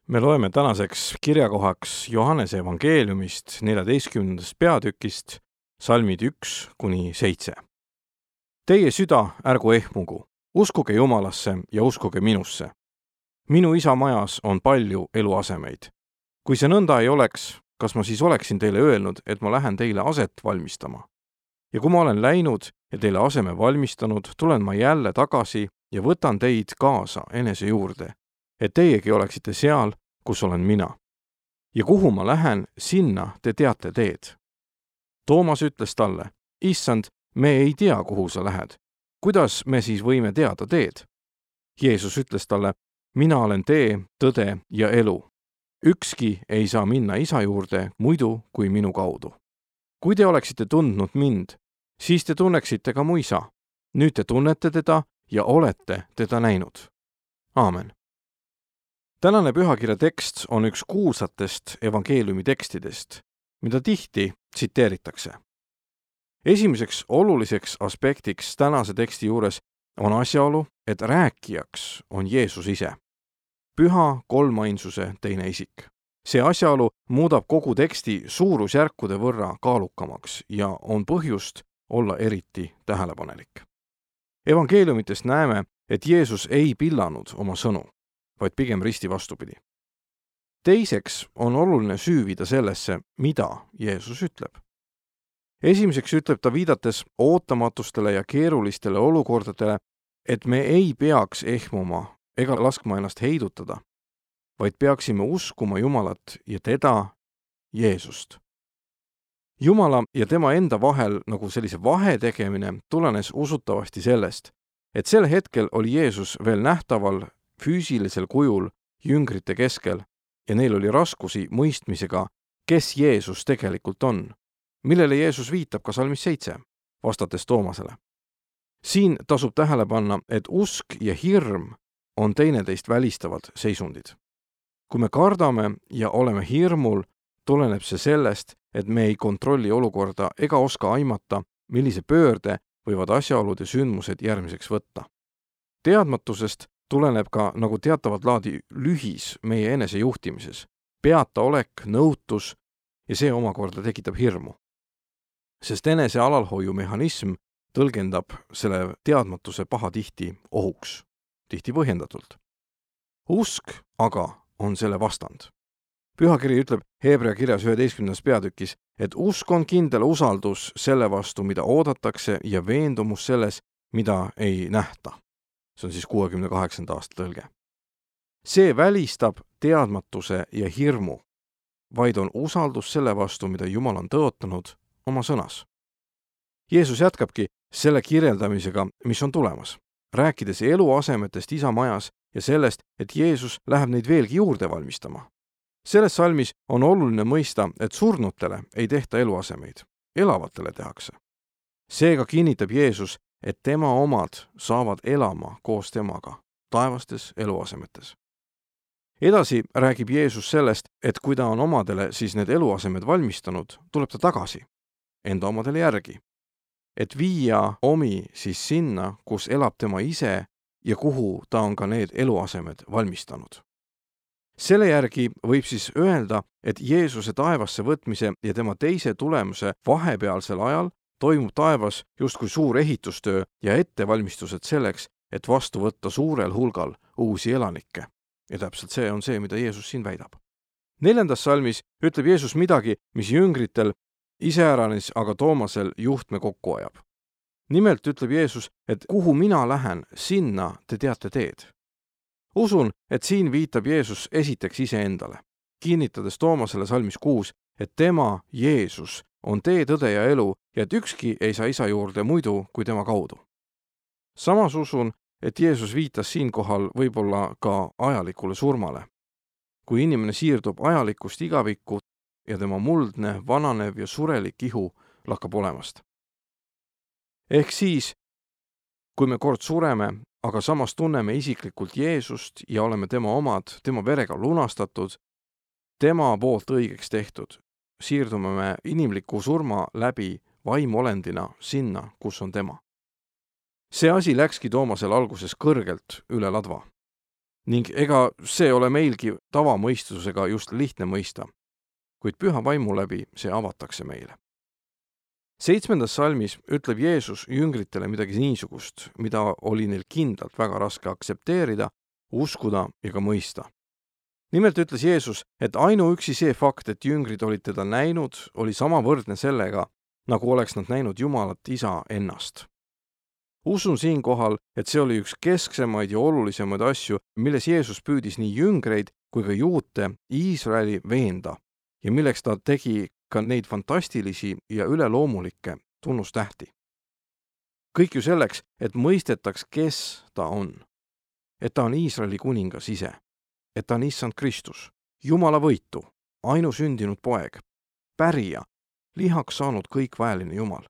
Me loeme tänaseks kirjakohaks Johannese evangeeliumist 14. peatükist, salmid 1–7. Teie süda ärgu ehmugu, uskuge Jumalasse ja uskuge minusse. Minu isa majas on palju eluasemeid. Kui see nõnda ei oleks, kas ma siis oleksin teile öelnud, et ma lähen teile aset valmistama? Ja kui ma olen läinud ja teile aseme valmistanud, tulen ma jälle tagasi ja võtan teid kaasa enese juurde, et teiegi oleksite seal, kus olen mina. Ja kuhu ma lähen, sinna te teate teed. Toomas ütles talle, Issand, me ei tea, kuhu sa lähed. Kuidas me siis võime teada teed? Jeesus ütles talle, mina olen tee, tõde ja elu. Ükski ei saa minna isa juurde muidu kui minu kaudu. Kui te oleksite tundnud mind, siis te tunneksite ka mu isa. Nüüd te tunnete teda ja olete teda näinud. Aamen. Tänane pühakirja tekst on üks kuulsatest evangeeliumi tekstidest, mida tihti tsiteeritakse. Esimeseks oluliseks aspektiks tänase teksti juures on asjaolu, et rääkijaks on Jeesus ise. Püha kolmainsuse teine isik. See asjaolu muudab kogu teksti suurusjärkude võrra kaalukamaks ja on põhjust olla eriti tähelepanelik. Evangeeliumitest näeme, et Jeesus ei pillanud oma sõnu, vaid pigem risti vastupidi. Teiseks on oluline süüvida sellesse, mida Jeesus ütleb. Esimeseks ütleb ta viidates ootamatustele ja keerulistele olukordadele, et me ei peaks ehmuma ega laskma ennast heidutada, vaid peaksime uskuma Jumalat ja teda, Jeesust. Jumala ja tema enda vahel nagu sellise vahe tegemine tulenes usutavasti sellest, et sel hetkel oli Jeesus veel nähtaval füüsilisel kujul jüngrite keskel ja neil oli raskusi mõistmisega, kes Jeesus tegelikult on, millele Jeesus viitab ka salmis 7, vastates Toomasele. Siin tasub tähele panna, et usk ja hirm on teineteist välistavad seisundid. Kui me kardame ja oleme hirmul, tuleneb see sellest, et me ei kontrolli olukorda ega oska aimata, millise pöörde võivad asjaolud ja sündmused järgmiseks võtta. Teadmatusest tuleneb ka nagu teatavat laadi lühis meie enese juhtimises, peataolek, nõutus ja see omakorda tekitab hirmu. Sest enese alalhoiumehhanism tõlgendab selle teadmatuse pahatihti ohuks, tihti põhjendatult. Usk aga on selle vastand. Pühakiri ütleb Hebra kirjas 11. peatükis, et usk on kindel usaldus selle vastu, mida oodatakse ja veendumus selles, mida ei nähta. See on siis 68. aasta tõlge. See välistab teadmatuse ja hirmu, vaid on usaldus selle vastu, mida Jumal on tõotanud oma sõnas. Jeesus jätkabki selle kirjeldamisega, mis on tulemas, rääkides eluasemetest isa majas ja sellest, et Jeesus läheb neid veelgi juurde valmistama. Selles salmis on oluline mõista, et surnutele ei tehta eluasemeid, elavatele tehakse. Seega kinnitab Jeesus, et tema omad saavad elama koos temaga taevastes eluasemetes. Edasi räägib Jeesus sellest, et kui ta on omadele siis need eluasemed valmistanud, tuleb ta tagasi, enda omadele järgi, et viia omi siis sinna, kus elab tema ise ja kuhu ta on ka need eluasemed valmistanud. Selle järgi võib siis öelda, et Jeesuse taevasse võtmise ja tema teise tulemuse vahepealsel ajal toimub taevas justkui suur ehitustöö ja ettevalmistused selleks, et vastu võtta suurel hulgal uusi elanikke. Ja täpselt see on see, mida Jeesus siin väidab. 4. salmis ütleb Jeesus midagi, mis jüngritel, iseäranis aga Toomasel juhtme kokku ajab. Nimelt ütleb Jeesus, et kuhu mina lähen, sinna te teate teed. Usun, et siin viitab Jeesus esiteks iseendale, kinnitades Toomasele salmis 6, et tema, Jeesus, on tee, tõde ja elu ja et ükski ei saa isa juurde muidu kui tema kaudu. Samas usun, et Jeesus viitas siinkohal võib-olla ka ajalikule surmale. Kui inimene siirdub ajalikust igavikku ja tema muldne, vananev ja surelik ihu lakkab olemast. Ehk siis, kui me kord sureme, aga samas tunneme isiklikult Jeesust ja oleme tema omad, tema verega lunastatud, tema poolt õigeks tehtud, siirdume me inimliku surma läbi vaimolendina sinna, kus on tema. See asi läkski Toomasel alguses kõrgelt üle ladva. ning ega see ole meilgi tavamõistusega just lihtne mõista, kuid püha vaimu läbi see avatakse meile. 7. salmis ütleb Jeesus jüngritele midagi niisugust, mida oli neil kindlalt väga raske aktsepteerida, uskuda ja ka mõista. Nimelt ütles Jeesus, et ainuüksi see fakt, et jüngrid olid teda näinud, oli samavõrdne sellega, nagu oleks nad näinud Jumalat Isa ennast. Usun siinkohal, et see oli üks kesksemaid ja olulisemaid asju, milles Jeesus püüdis nii jüngreid kui ka juute Iisraeli veenda ja milleks ta tegi ka neid fantastilisi ja üleloomulikke tunnustähti. Kõik ju selleks, et mõistetaks, kes ta on. Et ta on Iisraeli kuningas ise. Et ta on Issand Kristus, Jumala võitu, ainusündinud poeg, pärija, lihaks saanud kõikväeline Jumal.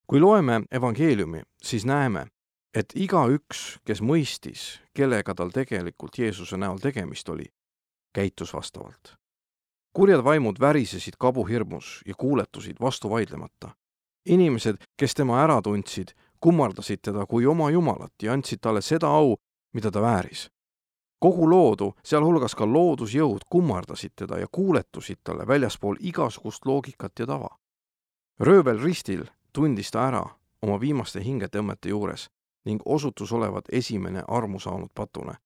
Kui loeme evangeeliumi, siis näeme, et igaüks, kes mõistis, kellega tal tegelikult Jeesuse näol tegemist oli, käitus vastavalt. Kurjad vaimud värisesid kabuhirmus ja kuuletusid vastu vaidlemata. Inimesed, kes tema ära tundsid, kummardasid teda kui oma Jumalat ja andsid talle seda au, mida ta vääris. Kogu loodu, sealhulgas ka loodusjõud, kummardasid teda ja kuuletusid talle väljaspool igasugust loogikat ja tava. Röövel ristil tundis ta ära oma viimaste hingetõmmete juures ning osutus olevat esimene armu saanud patune,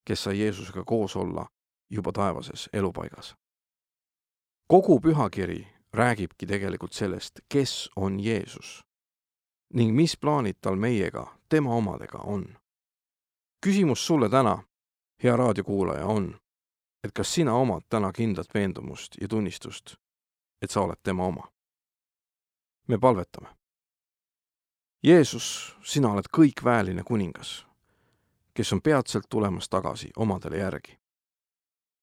kes sai Jeesusega koos olla juba taevases elupaigas. Kogu pühakiri räägibki tegelikult sellest, kes on Jeesus ning mis plaanid tal meiega, tema omadega on. Küsimus sulle täna, hea raadiokuulaja, on, et kas sina omad täna kindlat veendumust ja tunnistust, et sa oled tema oma. Me palvetame. Jeesus, sina oled kõikväeline kuningas, kes on peatselt tulemas tagasi omadele järgi.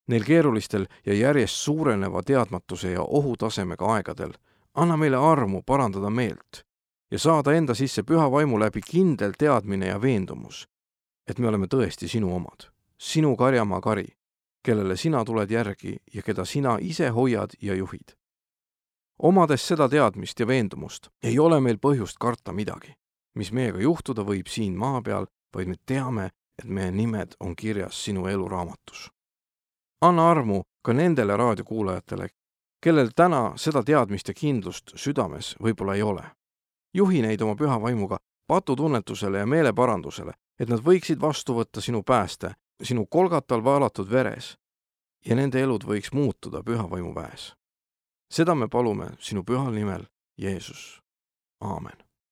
Neil keerulistel ja järjest suureneva teadmatuse ja ohutasemega aegadel anna meile armu parandada meelt ja saada enda sisse püha vaimu läbi kindel teadmine ja veendumus, et me oleme tõesti sinu omad, sinu karjamaa kari, kellele sina tuled järgi ja keda sina ise hoiad ja juhid. Omades seda teadmist ja veendumust ei ole meil põhjust karta midagi, mis meiega juhtuda võib siin maa peal, vaid me teame, et meie nimed on kirjas sinu eluraamatus. Anna armu ka nendele raadiokuulajatele, kellel täna seda teadmist ja kindlust südames võib-olla ei ole. Juhi neid oma püha vaimuga patutunnetusele ja meeleparandusele, et nad võiksid vastu võtta sinu pääste, sinu kolgatal vaalatud veres ja nende elud võiks muutuda püha vaimu väes. Seda me palume sinu pühal nimel, Jeesus. Aamen.